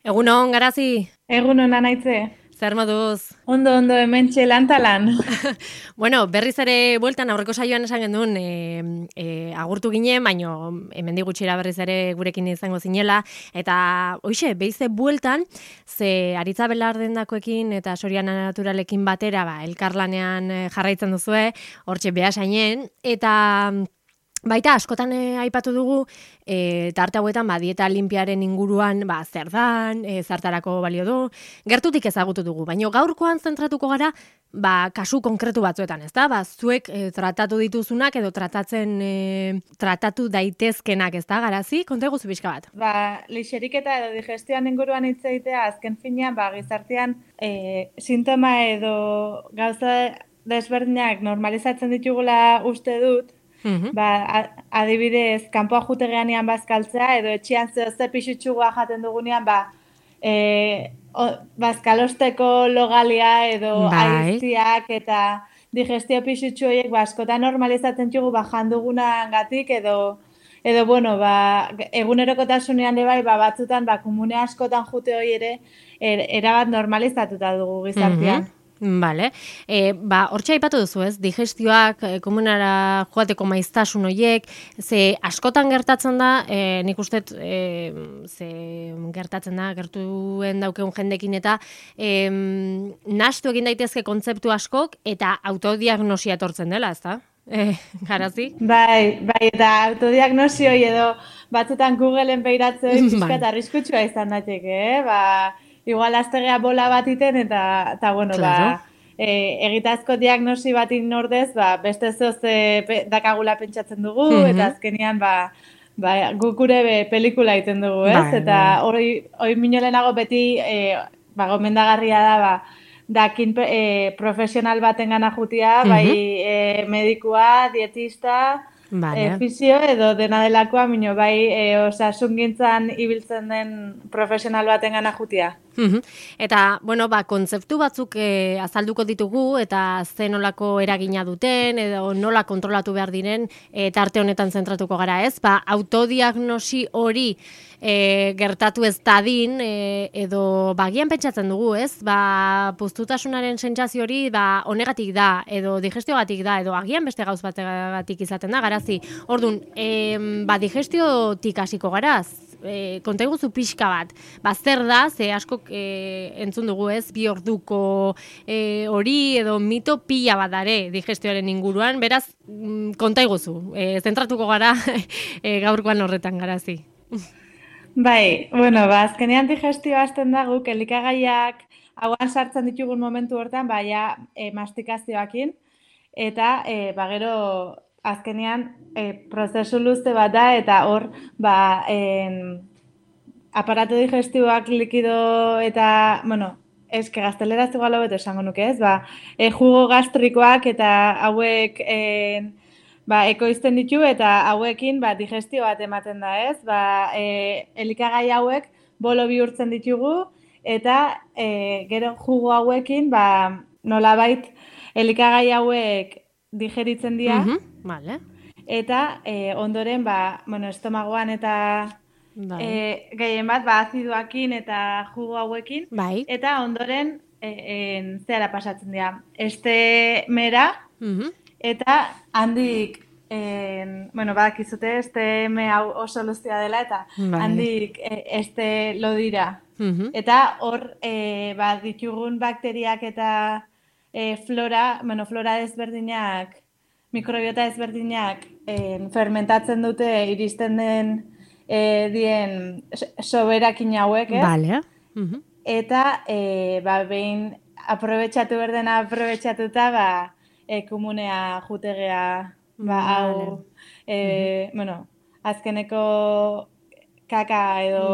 Egunon, Garazi, Egun hona naitze. zer moduz? Ondo, hementxe lantalan. Bueno, berriz ere bueltan aurreko saioan esan genuen agurtu ginen, baino hemendik gutxira berriz ere gurekin izango zinela, eta hoixe, beize bueltan, ze Aritza Belardendakoekin eta Soriana Naturalekin batera, elkarlanean jarraitzen duzue, hortxe behasainen, eta baita, askotan aipatu dugu, tarte hauetan dieta linpiaren inguruan zer dan, zertarako balio du, gertutik ezagutu dugu, baina gaurkoan zentratuko gara kasu konkretu batzuetan, ez da? Zuek tratatu dituzunak edo tratatu daitezkenak, ez da, Garazi? Konta eguzu pixka bat. Lixeriketa edo digestioan inguruan hitz egitea, azken finean, gizartean sintoma edo gauza desberdinak normalizatzen ditugula uste dut, adibidez, kanpoa jutegeanean bazkaltzea, edo etxean zehozte pixutxugua jaten dugunean, bazkalosteko logalia edo aiziak eta digestio pixutxu horiek askotan normalizatzen txugu jandugunagatik edo bueno, egunerokotasunean ere batzutan komune askotan jute hori ere erabat normalizatuta dugu gizartean. Vale. Hortxe aipatu duzu, ez? Digestioak, komunara joateko maiztasun horiek, ze askotan gertatzen da, nik uste gertuen daukeun jendekin eta nahastu egin daitezke kontzeptu askok eta autodiagnosia etortzen dela, ez da? Garazi? Bai, eta autodiagnosi hori edo batzutan Googleen beiratzen pixkat arriskutsua izan daiteke, igual aztegea bola bat iten eta bueno, claro. Egitazko diagnosi batin ordez, beste zehoze dakagula pentsatzen dugu, eta azkenean guk gure pelikula egiten dugu, ez? Eta hori minolenago beti gomendagarria da, dakin profesional baten gana jutia, bai medikua, dietista, fisio edo dena delakoa, minio osasungintzan ibiltzen den profesional baten gana jutia. Eta, bueno, kontzeptu batzuk azalduko ditugu eta ze nolako eragina duten edo nola kontrolatu behar diren tarte honetan zentratuko gara, ez? Autodiagnosi hori gertatu ez dadin edo bagian pentsatzen dugu, ez? Puztutasunaren sentsazio hori honegatik da edo digestiogatik da edo agian beste gauz bategatik izaten da, Garazi. Orduan, digestiotik hasiko garaz? Konta iguzu pixka bat, zer da, ze askok entzun dugu, ez, 2 orduko hori edo mito pila bat dare digestioaren inguruan, beraz, konta iguzu, zentratuko gara gaurkoan horretan, Garazi. Bai, bueno, azkenean digestioa hasten da guk elikagaiak hauan sartzen ditugun momentu hortan, mastikazioakin, eta gero azkenean prozesu luze bat da, eta hor aparato digestioak likido eta, bueno, eske gazteleraz igual hobeto esango nuke, ez? Jugo gastrikoak eta hauek ekoizten ditu eta hauekin digestio bat ematen da, ez? Elikagai hauek bolo bihurtzen ditugu eta gero jugo hauekin nolabait elikagai hauek digeritzen dira. Vale. Eta ondoren estomagoan eta gehien bat azidoakin eta jugo hauekin. Eta ondoren zehara pasatzen dira. Estemera eta handik badakizute esteme hau oso luztia dela eta handik lodira. Eta hor ditugun bakteriak eta flora desberdinak, mikrobiota ezberdinak fermentatzen dute iristen den dien soberakin hauek, ez? Vale. Eta behin aprobetxatu berdena aprobetxatuta komunea jutegea hau azkeneko kaka edo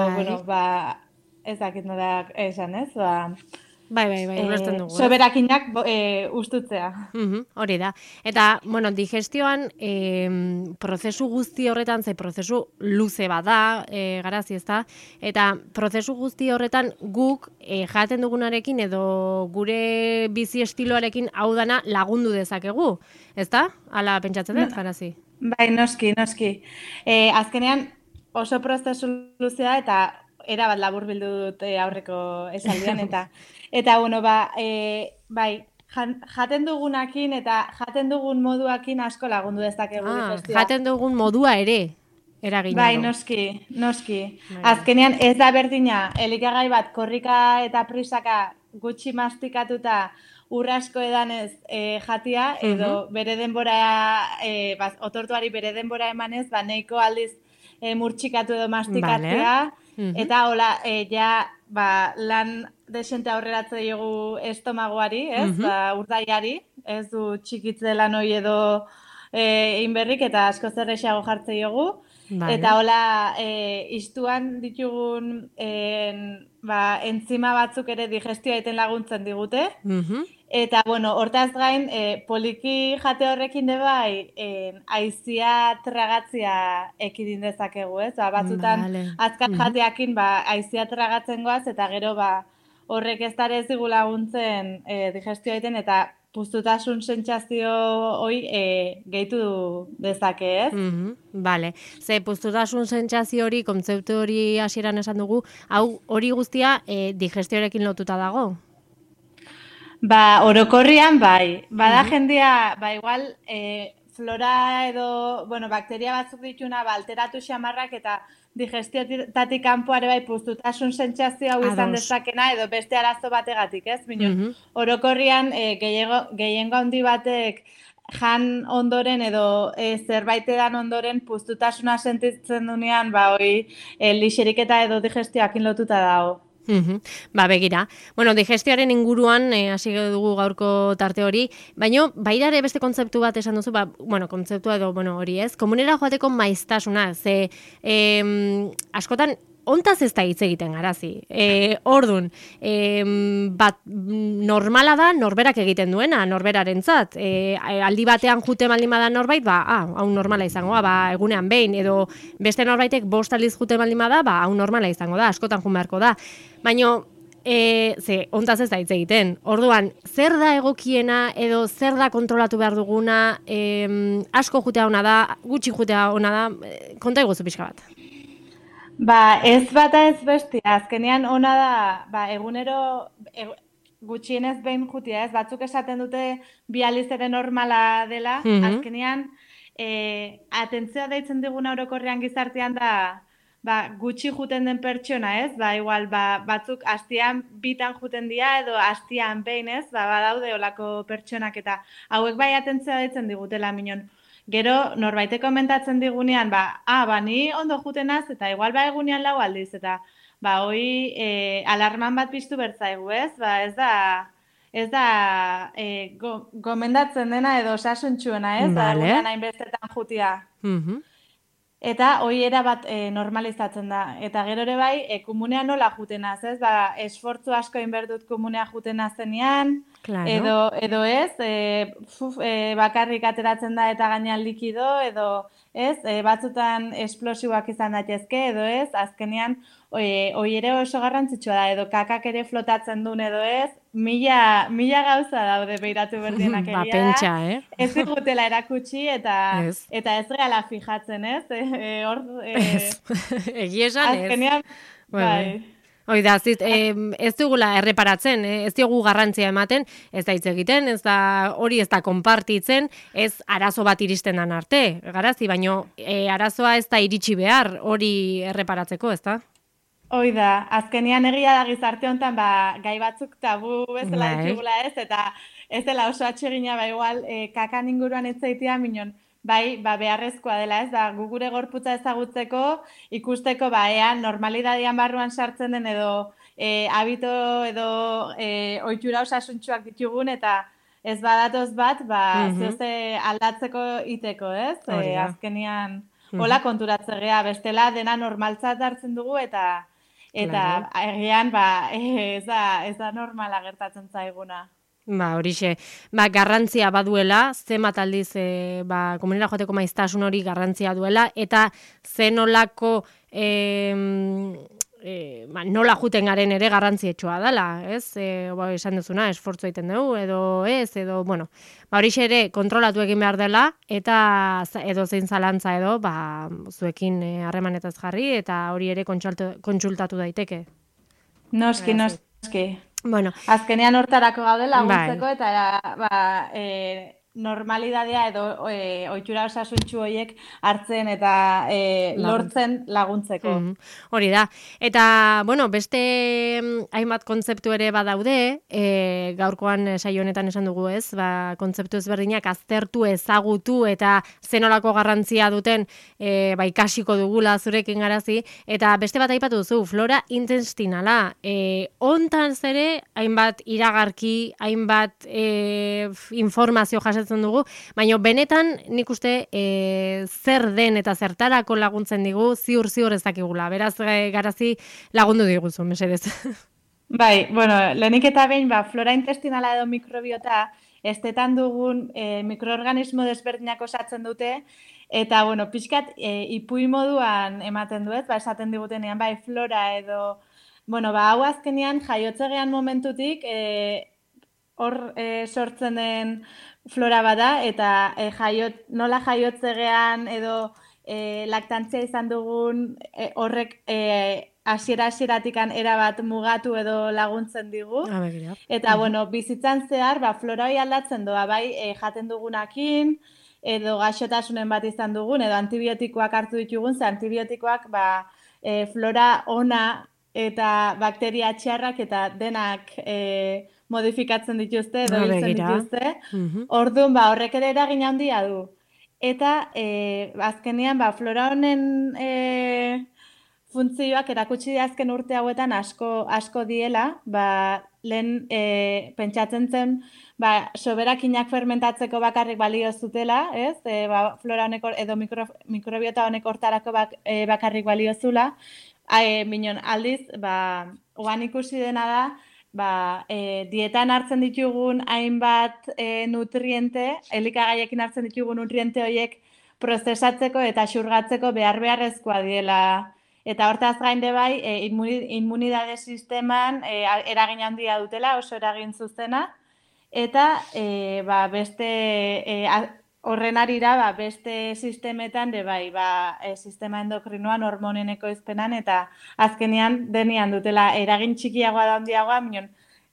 ez dakit nola esan, ez? Bai, ulertzen dugu. Soberakinak ustutzea. Hori da. Eta, bueno, digestioan prozesu guzti horretan, prozesu luze bada, Garazi, ezta? Eta prozesu guzti horretan guk jaten dugunarekin edo gure bizi estiloarekin hau dana lagundu dezakegu, ezta? Hala pentsatzen dut, Garazi? Bai, noski. Azkenean oso prozesu luzea eta erabat laburbildu dut aurreko esaldian, eta bueno, bai, jaten dugunakin eta jaten dugun moduakin asko lagundu dezakegu digestioa. Jaten dugun modua ere eragina bai, du. noski. Azkenean ez da berdina, elikagai bat korrika eta prisaka gutxi mastikatuta urrasko edanez jatia, edo bere denbora, otortuari bere denbora emanez, nahiko aldiz murtxikatu edo mastikatzea, eta hola, lan desente aurreratze diogu estomagoari, ez, urdaiari, ez du txikitze lan hori edo inberrik, eta asko zerrexago jartze diogu. Eta hola, iztuan ditugun enzima batzuk ere digestioa egiten laguntzen digute. Eta, bueno, hortaz gain, poliki jate horrekin bai, aizia tragatzia ekidin dezakegu, ez? Batzutan, azkar jateakin, aizia tragatzen goaz, eta gero, horrek ez dara ez digu laguntzen digestioa egiten, eta puztutasun sentsazio hoi gehitu dezake, ez? Bale, ze puztutasun sentsazio hori, kontzeptu hori hasieran esan dugu, hori guztia digestioarekin lotuta dago? Orokorrian bai. Bada jendia, igual, flora edo, bakteria batzuk dituna, alteratu xamarrak eta digestiotatik kanpoare bai puztutasun sentsazio hau izan dezakena edo beste arazo bategatik, ez? Orokorrian gehiengo handi batek jan ondoren edo zerbait edan ondoren puztutasuna sentitzen dunean, hori lixeriketa edo digestioakin lotuta dago. Begira. Bueno, digestioaren inguruan hasi dugu gaurko tarte hori, baina baita ere beste kontzeptu bat esan duzu, kontzeptua edo hori ez, komunera joateko maiztasuna, ze askotan ontaz ez da hitz egiten garazi. Ordun, normala da norberak egiten duena, norberarentzat. Aldi batean jute baldin bada norbait, hau normala izango da, egunean behin, edo beste norbaitek 5 aldiz jute baldin bada, hau normala izango da, askotan jun beharko da. Baina, ontaz ez da hitz egiten. Orduan, zer da egokiena edo zer da kontrolatu behar duguna, asko jutea ona da, gutxi jutea ona da, konta iguzu pixka bat. Ez bata ez bestia, azkenean ona da, egunero gutxienez behin jutia, ez? Batzuk esaten dute 2 aldiz ere normala dela, azkenean atentzioa deitzen diguna orokorrean gizartean da gutxi juten den pertsona, ez? Igual, batzuk astian 2 juten dira edo astian behin, ez? Badaude olako pertsonak eta hauek bai atentzioa deitzen digutela minon. Gero, norbaitek komentatzen digunean, ni ondo jutenaz, eta igual egunean 4 aldiz, eta hoi alarman bat piztu bertzaigu, ez? Ez da gomendatzen dena edo osasuntsuena, ez? Egunean hainbestetan jutia. Eta hoi erabat normalizatzen da. Eta gero ere bai, komunean nola jutenaz, ez? Esfortzu asko inberdut komunea jutenaz zenean, edo ez, bakarrik ateratzen da eta gainean likido, edo ez, batzutan esplosiboak izan daitezke, edo ez, azkenean hoi ere oso garrantzitsua da, edo kakak ere flotatzen duen, edo ez, mila gauza daude behiratu berdienak egia da. Pentsa, Ez digutela erakutsi eta ez reala fijatzen, ez? Egia esan, ez? Azkenean, bai. Hoi da, ez dugula erreparatzen, ez dugu garrantzia ematen, ez da hitz egiten, hori ez da konpartitzen, ez arazo bat iristen dan arte, garazi, baino arazoa ez da iritsi behar hori erreparatzeko, ez da? Hoi da, azkenean egia da gizarte honetan, gai batzuk tabu bezala ditugula ez, eta ez dela oso atsegina, igual, kakan inguruan ez zaitea, minon, beharrezkoa dela, ez, gu gure gorputza ezagutzeko, ikusteko, ea, normalidadian barruan sartzen den edo habito edo ohitura osasuntsuak ditugun, eta ez badatoz bat, zehoze aldatzeko iteko, ez? Azkenean, hola konturatzea, bestela dena normaltzat hartzen dugu, eta egian, ez da normala gertatzen zaiguna. Horixe, garrantzia baduela, zenbat aldiz komunera joateko maiztasun hori garrantzia duela, eta zenolako nola juten garen ere garrantzietsua dela, ez? Esan duzuna, esfortzu egiten dugu, edo, bueno, horixe ere kontrolatu egin behar dela, eta edo zein zalantza edo, zuekin harremanetaz jarri, eta hori ere kontsultatu daiteke. Noski. Bueno. Azkenean hortarako gaude laguntzeko, eta normalidadea edo ohitura osasuntsu horiek hartzen eta lortzen laguntzeko. Hori da. Eta, bueno, beste hainbat kontzeptu ere badaude, gaurkoan saio honetan esan dugu ez, kontzeptu ezberdinak aztertu, ezagutu eta zenolako garrantzia duten ikasiko dugula zurekin garazi, eta beste bat aipatu duzu, flora intestinala. Hontan ere hainbat iragarki, hainbat informazio jasotzen dugu, baina benetan nik uste zer den eta zertarako laguntzen digu ziur ez dakigula. Beraz, garazi lagundu diguzu, mesedez. Bai, bueno, lehenik eta behin, flora intestinala edo mikrobiota, estetan dugun mikroorganismo desberdinak osatzen dute, eta, bueno, pixkat ipuin moduan ematen duet, esaten digutenean, flora edo, bueno, hau azkenean jaiotzegean momentutik, hor sortzen den flora bada, eta nola jaiotzegean edo laktantzia izan dugun horrek hasieratik erabat mugatu edo laguntzen digu. Eta, bueno, bizitzan zehar, flora hori aldatzen doa, jaten dugunakin, edo gaixotasunen bat izan dugun, edo antibiotikoak hartu ditugun, ze antibiotikoak flora ona eta bakteria txarrak eta denak modifikatzen dituzte, edo hiltzen dituzte. Orduan, horrek ere eragin handia du. Eta, azkenean, flora honen funtzioak erakutsi azken urte hauetan asko diela, lehen pentsatzen zen, soberakinak fermentatzeko bakarrik balio zutela, ez? Flora honek edo mikrobiota honek hortarako bakarrik balio zula, minon aldiz, oan ikusi dena da, dietan hartzen ditugun hainbat nutriente, elikagaiekin hartzen ditugun nutriente horiek prozesatzeko eta xurgatzeko beharrezkoa diela. Eta hortaz gainde immunidade sisteman eragin handia dutela, oso eragin zuzena, eta beste horren arira beste sistemetan sistema endokrinoan, hormonen ekoizpenan, eta azkenean denean dutela eragin txikiagoa da handiagoa,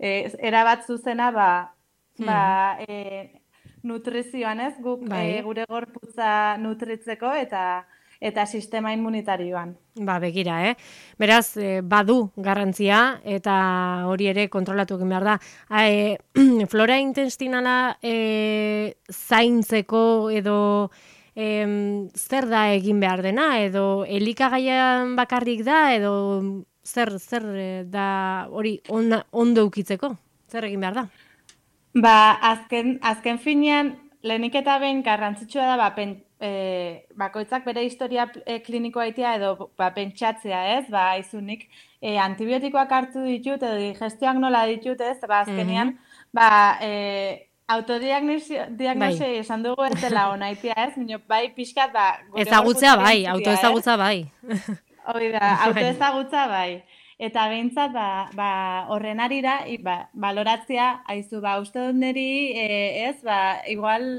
erabat zuzena nutrizioan, ez? Guk gure gorputza nutritzeko eta sistema immunitarioan. Begira, Beraz, badu garrantzia, eta hori ere kontrolatu egin behar da. Flora intestinala zaintzeko edo zer da egin behar dena, edo elikagaian bakarrik da, edo zer da hori ondo ukitzeko? Zer egin behar da? Azken finean, lehenik eta behin garrantzitsua da, bakoitzak bere historia klinikoa itea edo pentsatzea, ez? Izunik, antibiotikoak hartu ditut edo digestioak nola ditut, ez? Azkenean, autodiagnosia esan dugu ez dela onaitia, ez? Pixkat, ezagutza autoezagutza bai. Hori da, autoezagutza bai. Eta behintzat, horren arira, baloratzea, haizu, uste dut niri, ez, igual,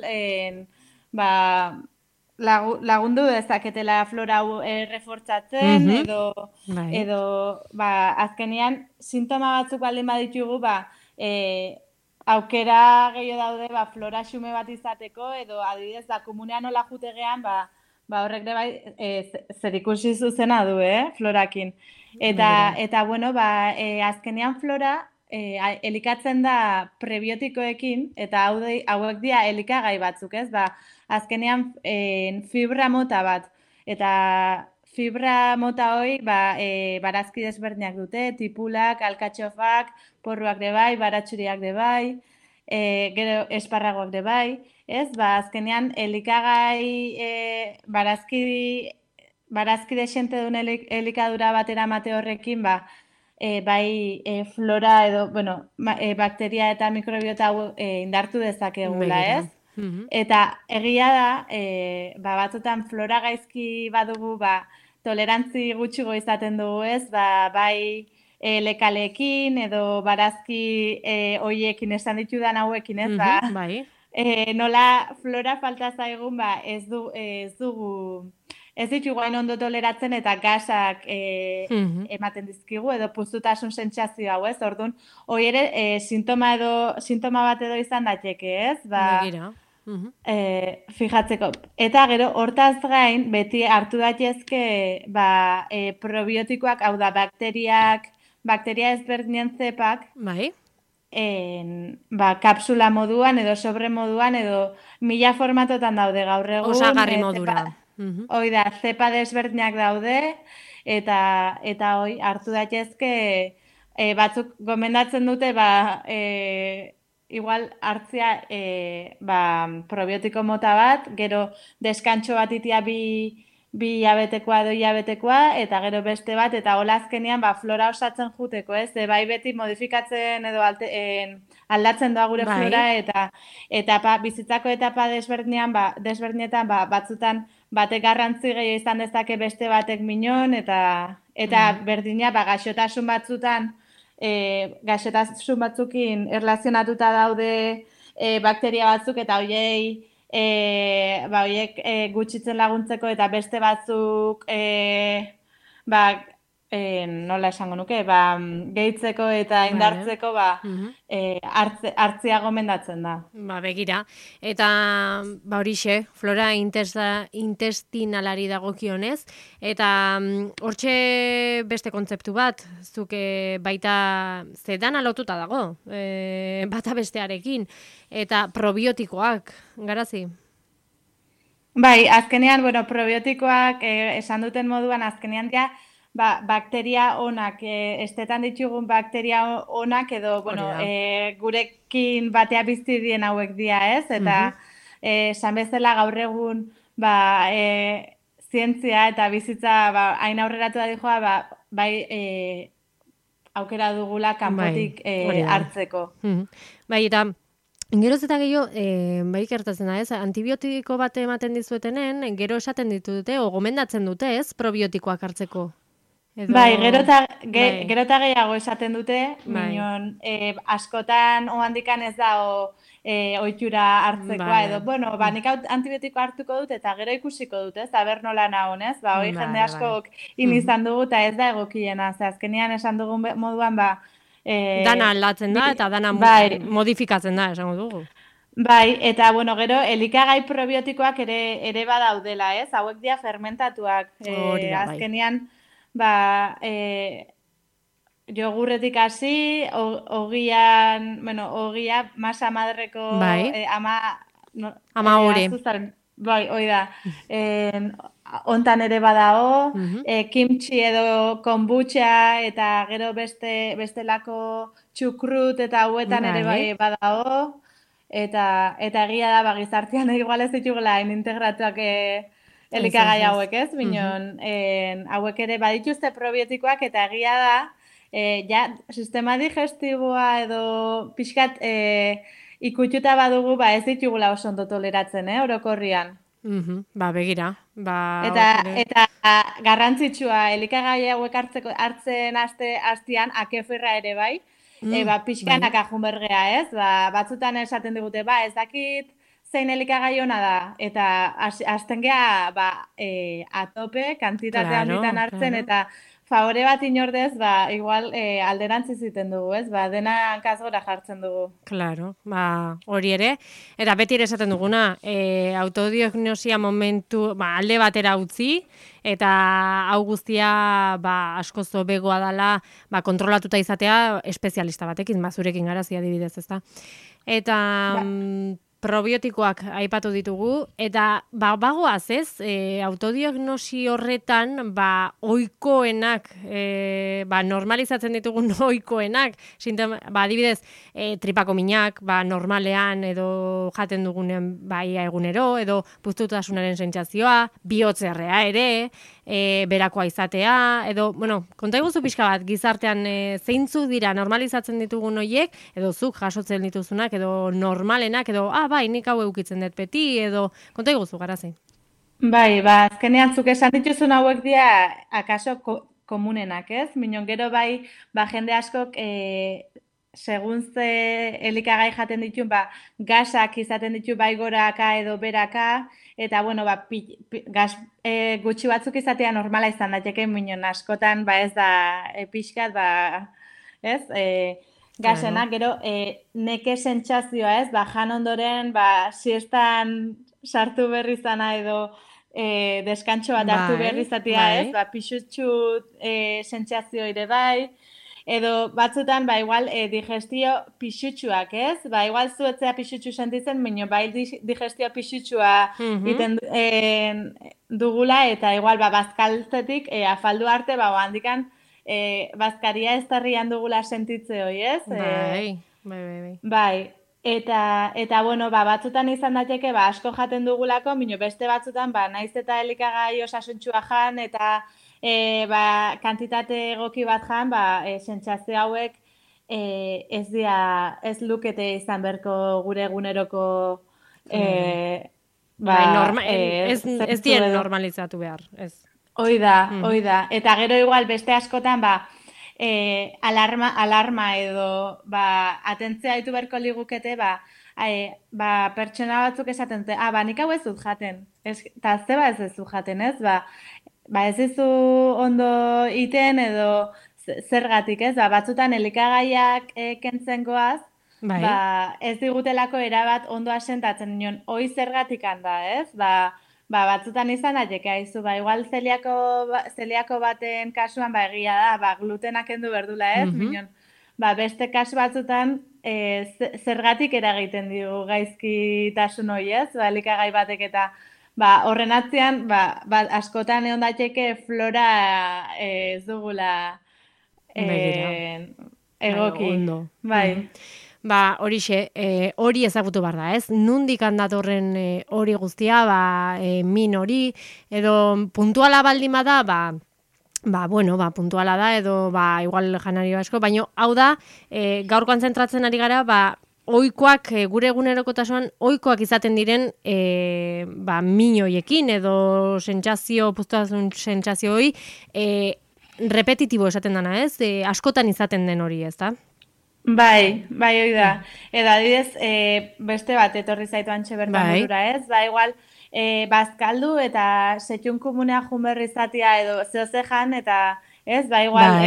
lagundu dezaketela flora hau refortzatzen, edo azkenean, sintoma batzuk baldin baditugu, aukera gehiago daude, flora xume bat izateko, edo adibidez, komunean nola jutegean, horrek zer ikusi zuzena du, florakin. Eta bueno, azkenean flora elikatzen da prebiotikoekin, eta hauek dira elikagai batzuk, ez? Azkenean fibra mota bat, eta fibra mota hori barazki desberdinak dute, tipulak, alkatxofak, porruak de bai, baratxuriak de bai, gero esparragoak de bai, ez? Azkenean elikagai barazki desente duen elikadura batera mate horrekin, flora edo, bakteria eta mikrobiota indartu dezakegula, ez? Eta egia da, batzutan flora gaizki badugu, tolerantzi gutxigo izaten dugu, ez? Bai lekalekin edo barazki hoiekin esan ditudan hauekin, ez? Bai. Nola flora falta zaigun, ez ditugu hain ondo toleratzen eta gasak ematen dizkigu edo puztutasun sentsazio hau, ez? Orduan, hori ere sintoma bat edo izan daiteke, ez? Begira. Fijatzeko. Eta gero, hortaz gain, beti hartu daitezke probiotikoak, hau da, bakteria ezberdinen zepak, Bai. Kapsula moduan edo sobre moduan edo 1000 formatotan daude gaur egun. Osagarri modura. Hoi da, zepa desberdinak daude eta hoi hartu daitezke batzuk gomendatzen dute igual hartzea probiotiko mota bat, gero deskantxo bat itia bi hilabetekoa edo hilabetekoa, eta gero beste bat, eta hola azkenean flora osatzen juteko, ez? Bai beti modifikatzen edo aldatzen doa gure flora, eta bizitzako etapa desberdinetan batzutan batek garrantzi gehiago izan dezake beste batek minon, eta berdina gaixotasun batzutan, gaixotasun batzukin erlazionatuta daude bakteria batzuk, eta horiek gutxitzen laguntzeko eta beste batzuk nola esango nuke, gehitzeko eta indartzeko hartzea gomendatzen da. Begira. Eta horixe, flora intestinalari dagokionez, eta hortxe beste kontzeptu bat, zuke baita zedan alotuta dago, bata bestearekin, eta probiotikoak, Garazi? Bai, azkenean, probiotikoak esan duten moduan, azkenean ja, bakteria onak, estetan ditugun bakteria onak edo, gurekin batea bizi dien hauek dira, ez? Eta, esan bezala gaur egun, zientzia eta bizitza hain aurreratu da dijoa, aukera dugula kanpotik hartzeko. Bai, eta geroz eta gehiago, bai gertatzen da, ez? Antibiotiko bat ematen dizuetenen, gero esaten ditute, o gomendatzen dute, ez? Probiotikoak hartzeko. Bai, gero eta gehiago esaten dute, minon, askotan ohandikan ez da ohitura hartzekoa, edo, nik antibiotiko hartuko dut eta gero ikusiko dut, ez? Aber nola nagon, ez? Hoi jende askok izan dugu eta ez da egokiena, azkenean esan dugun moduan, dana aldatzen da eta dana modifikatzen da, esango dugu. Bai, eta, gero, elikagai probiotikoak ere badaudela, ez? Hauek dira fermentatuak, azkenean, jogurretik hasi, ogia masa madreko ama hori. Bai, hoi da. Hontan ere badao, kimchi edo kombucha eta gero bestelako txukrut eta hauetan ere bai badao. Eta egia da, gizartean igual ez ditugula integratuak elikagai hauek, ez? Minon, hauek ere badituzte probiotikoak eta egia da, sistema digestiboa edo pixkat ikututa badugu, ez ditugula oso ondo toleratzen, orokorrian. Begira. Eta garrantzitsua, elikagai hauek hartzen hastian, akeferra ere bai, pixkanak ajunbergea, ez? Batzutan esaten digute, ez dakit, zein elikagai ona da, eta hasten geha atope, kantitate handitan hartzen, eta favore bat inordez, igual alderantzi ziten dugu, ez? Dena hankazgora jartzen dugu. Claro, hori ere. Eta beti ere esaten duguna, autodiagnosia momentu, alde batera utzi, eta hau guztia askoz hobegoa dela kontrolatuta izatea espezialista batekin, zurekin Garazi adibidez, ezta? Eta probiotikoak aipatu ditugu, eta bagoaz, ez? Autodiagnosi horretan, ohikoenak, normalizatzen ditugun ohikoenak, adibidez, tripako minak, normalean edo jaten dugunen ia egunero, edo puztutasunaren sentsazioa, bihotzerrea ere, berakoa izatea, edo, konta iguzu pixka bat, gizartean zeintzu dira normalizatzen ditugun horiek, edo zuk jasotzen dituzunak, edo normalenak, edo, nik hau eukitzen dut beti, edo, konta iguzu, Garazi. Bai, azkenean zuk esan dituzun hauek dira akaso komunenak, ez? Minon gero bai, jende askok segun ze elikagai jaten ditun, gasak izaten ditu bai goraka edo beraka, eta bueno, gas gutxi batzuk izatea normala izan daiteke, minon askotan ez da pixkat, ez? Gasena, gero neke sentsazioa, ez? Jan ondoren, siestan sartu berri zana edo deskantxo bat hartu behar izatea, ez? Pixutxu sentsazio ere bai, edo batzutan, igual digestio pixutxuak, ez? Igual zuetzea pixutxu sentitzen, baina bai digestio pixutxua iten dugula, eta igual bazkaltzetik afaldu arte, handikan bazkaria ez tarrian dugula sentitze hoi, ez? Bai. Eta bueno, batzutan izan daiteke, asko jaten dugulako, mino beste batzutan, naiz eta elikagai osasuntxua jan, eta kantitate egoki bat jan, sentsazio hauek ez lukete izan berko gure eguneroko ez dien normalizatu behar, ez. Hoi da. Eta gero igual beste askotan, alarma edo atentzia ditu berko ligukete, pertsona batzuk esaten dute, nik hau ez dut jaten. Eta zeba ez dut jaten, ez? Ez dizu ondo iten edo zergatik, ez? Batzutan elikagaiak kentzen goaz, ez digutelako erabat ondo asentatzen nion, hoi zergatik handa, ez? Batzutan izan daiteke aizu, igual zeliako baten kasuan egia da, glutenak kendu berdula, ez? Minon, beste kasu batzutan zergatik eragiten digu gaizkitasun hori, ez? Elikagai batek eta horren atzean, askotan egon daiteke flora ez dugula egoki. Bai. Horixe, hori ezagutu behar da, ez? Nundik handatorren hori guztia, min hori, edo puntuala baldin bada, puntuala da, edo igual janari asko, baina hau da, gaur konzentratzen ari gara, oikoak, gure egunerokotasunan, oikoak izaten diren min horiekin, edo puztuazun sentsazio hori, repetitibo esaten dana, ez? Askotan izaten den hori, ez da? Bai, hoi da. Edo adibidez, beste bat etorri zaitu antxe bertan burura, ez? Igual, bazkaldu eta setxun komunea junberri izatea edo zehozejan, eta ez, igual,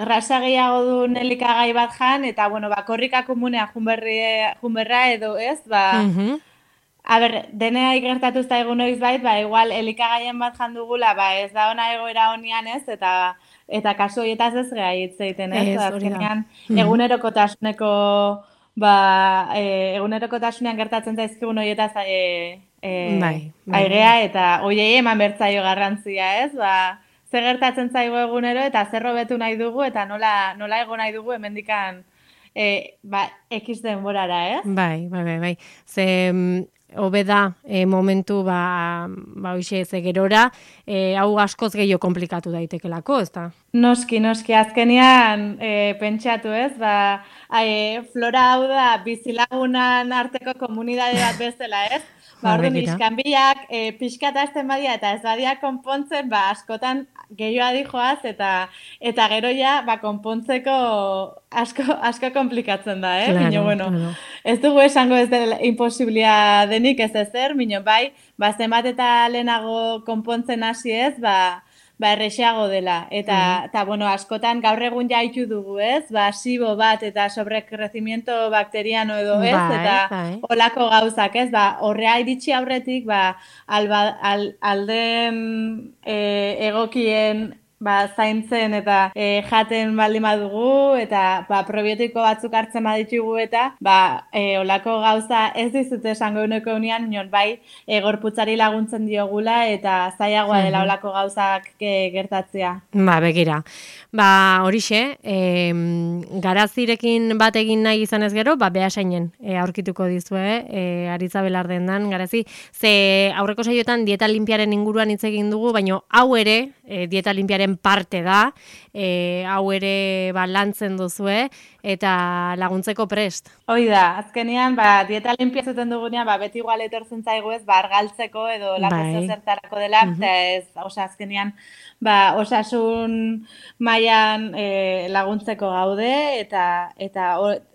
grasa gehiago du elikagai bat jan, eta, korrika komunea junberra edo, ez? Denea ikertatu zaigu noiz bait, igual, elikagaien bat jan dugula, ez da ona egoera honian, ez? Eta kasu horietaz ez geha hitzeiten, ez? Azkenean, egunerokotasuneko, egunerokotasunean gertatzen zaizkigun horietaz airea, eta hoiei eman bertzaio garrantzia, ez? Zer gertatzen zaigu egunero, eta zer hobetu nahi dugu, eta nola ego nahi dugu hemendikan X denborara, ez? Bai. Hobe da momentu hoxe gerora, hau askoz gehiago komplikatu daitekelako, ez da? Noski, azkenean pentsatu, ez? Flora hau da bizilagunan arteko komunidade bat bezala, ez? Orduan, iskanbilak pixkat hasten badia eta ez badia konpontzen, askotan gehiago adijoaz eta gero ja konpontzeko asko komplikatzen da, eh? Claro. Ez dugu esango ez dela imposiblia denik ez ezer, mino zenbat eta lehenago konpontzen hasi ez, errexeago dela. Eta, askotan gaur egun jaitu dugu, ez? Sibo bat eta sobrekrecimiento bakteriano edo, ez? Eta olako gauzak, ez? Horrea iritsi aurretik, alden egokien zaintzen eta jaten baldin badugu, eta probiotiko batzuk hartzen baditugu eta olako gauza ez dizute esango uneko unian, gorputzari laguntzen diogula eta zailagoa dela olako gauzak gertatzea. Begira. Horixe, garazirekin bat egin nahi izan ez gero, behasainen aurkituko dizue, Aritza Belardendan, garazi, ze aurreko saioetan dieta limpiaren inguruan hitz egin dugu, baina hau ere, dieta limpiaren dietaren parte da, hau ere lantzen duzue, eta laguntzeko prest. Hoi da, azkenean, dieta limpia zuten dugunean, beti igual etortzen zaigu ez, argaltzeko edo lako zertarako dela, eta ez, azkenean, osasun mailan laguntzeko gaude, eta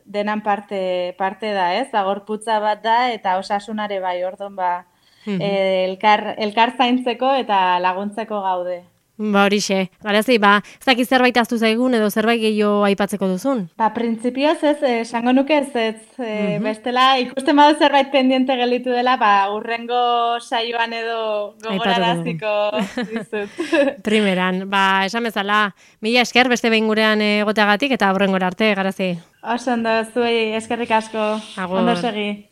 denan parte da, ez, gorputza bat da, eta osasunare bai, orduan, elkar zaintzeko eta laguntzeko gaude. Horixe, Garazi, ez dakit zerbait ahaztu zaigun edo zerbait gehiago aipatzeko duzun? Printzipioz ez, esango nuke ez, bestela ikusten badu zerbait pendiente gelditu dela, urrengo saioan edo gogoraraziko dizut. Primeran, esan bezala, mila esker beste behin gurean egoteagatik eta hurrengora arte, Garazi. Oso ondo, zuei eskerrik asko, ondo segi.